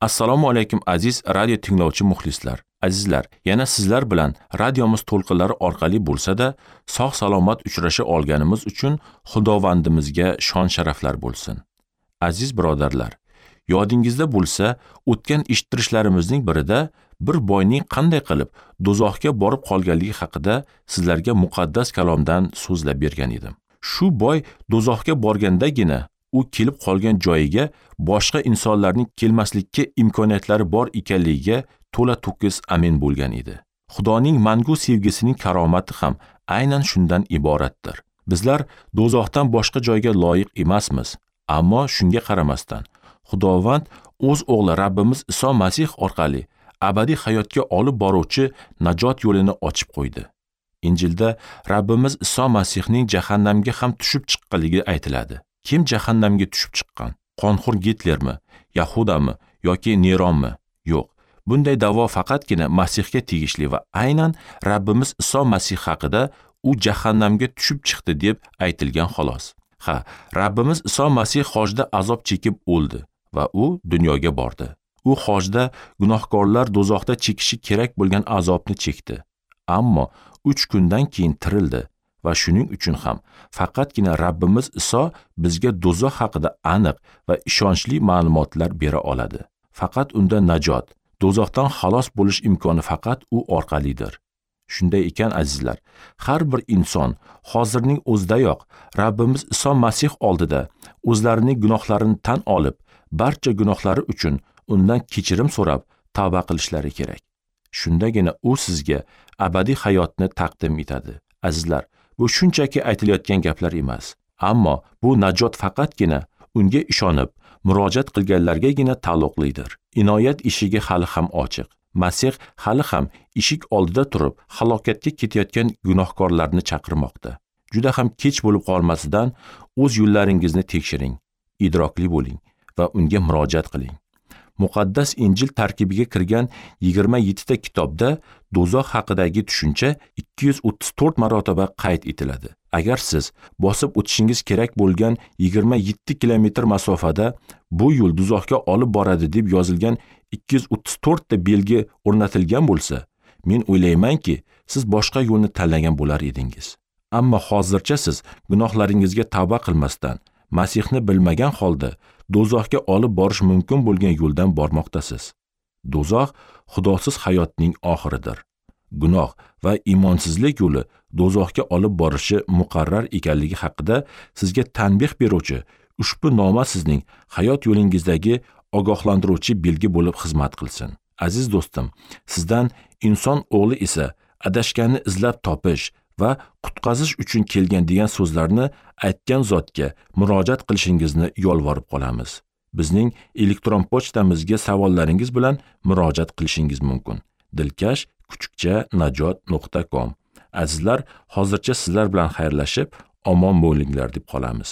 Assalomu alaykum aziz radio tinglovchi muxlislar. Azizlar, yana sizlar bilan radiomiz to'lqinlari orqali bo'lsa-da, sog' salomat uchrasha olganimiz uchun Xudovandimizga shon sharaflar bo'lsin. Aziz birodarlar, yodingizda bo'lsa, o'tgan eshittirishlarimizning birida bir boyning qanday qilib do'zaxga borib qolganligi haqida sizlarga muqaddas kalomdan so'zlab bergan edim. Shu boy do'zaxga borgandagina u kelib qolgan joyiga boshqa insonlarning kelmaslikka imkoniyatlari bor ekanligiga to'la to'kis amin bo'lgan edi. Xudoning mangu sevgisining karomati ham aynan shundan iboratdir. Bizlar do'zaxdan boshqa joyga loyiq emasmiz, ammo shunga qaramasdan Xudovand o'z o'g'li Rabbimiz Iso Masih orqali abadiy hayotga olib boruvchi najot yo'lini ochib qo'ydi. Injilda Rabbimiz Iso Masihning jahannamga ham tushib chiqqanligi aytiladi. Kim jahannamga tushib chiqqan? Qonxo'r Gitlermi, Yahudami yoki Neronmi? Yo'q. Bunday da'vo faqatgina Masihga tegishli va aynan Rabbimiz Iso Masih haqida u jahannamga tushib chiqdi deb aytilgan xolos. Ha, Rabbimiz Iso Masih hojda azob chekib o'ldi va u dunyoga bordi. U hojda gunohkorlar do'zaxda chekishi kerak bo'lgan azobni chekdi. Ammo 3 kundan keyin tirildi va shuning uchun ham faqatgina Rabbimiz Iso bizga do'zax haqida aniq va ishonchli ma'lumotlar bera oladi. Faqat unda najot, do'zaxdan xalos bo'lish imkoni faqat u orqalidir. Shunday ekan azizlar, har bir inson hozirning o'zidayoq Rabbimiz Iso Masih oldida o'zlarining gunohlarini tan olib, barcha gunohlari uchun undan kechirim so'rab tavba qilishlari kerak. Shundagina u sizga abadiy hayotni taqdim etadi. Azizlar, bu shunchaki aytilayotgan gaplar emas, ammo bu najot faqatgina unga ishonib murojaat qilganlargagina taalluqlidir. Inoyat eshigi hali ham ochiq. Masih hali ham eshik oldida turib, halokatga ketayotgan gunohkorlarni chaqirmoqda. Juda ham kech bo'lib qolmasidan o'z yo'llaringizni tekshiring, idrokli bo'ling va unga murojaat qiling. Muqaddas Injil tarkibiga kirgan 27 ta kitobda do'zax haqidagi tushuncha 234 marotaba qayd etiladi. Agar siz bosib o'tishingiz kerak bo'lgan 27 kilometr masofada bu yo'l do'zaxga olib boradi deb yozilgan 234 ta belgi o'rnatilgan bo'lsa, men o'ylaymanki, siz boshqa yo'lni tanlagan bo'lar edingiz. Ammo hozircha siz gunohlaringizga tavba qilmasdan, Masihni bilmagan holda do'zaxga olib borish mumkin bo'lgan yo'ldan bormoqdasiz. Do'zax xudosiz hayotning oxiridir. Gunoh va iymonsizlik yo'li do'zaxga olib borishi muqarrar ekanligi haqida sizga tanbeh beruvchi ushbu noma sizning hayot yo'lingizdagi ogohlantiruvchi belgi bo'lib xizmat qilsin. Aziz do'stim, sizdan inson o'g'li esa adashganni izlab topish va qutqazish uchun kelgan degan so'zlarni aytgan zotga murojaat qilishingizni yolvorib qolamiz. Bizning elektron pochtamizga savollaringiz bilan murojaat qilishingiz mumkin. dilkash@najot.com. Azizlar, hozircha sizlar bilan xayrlashib, omon bo'linglar deb qolamiz.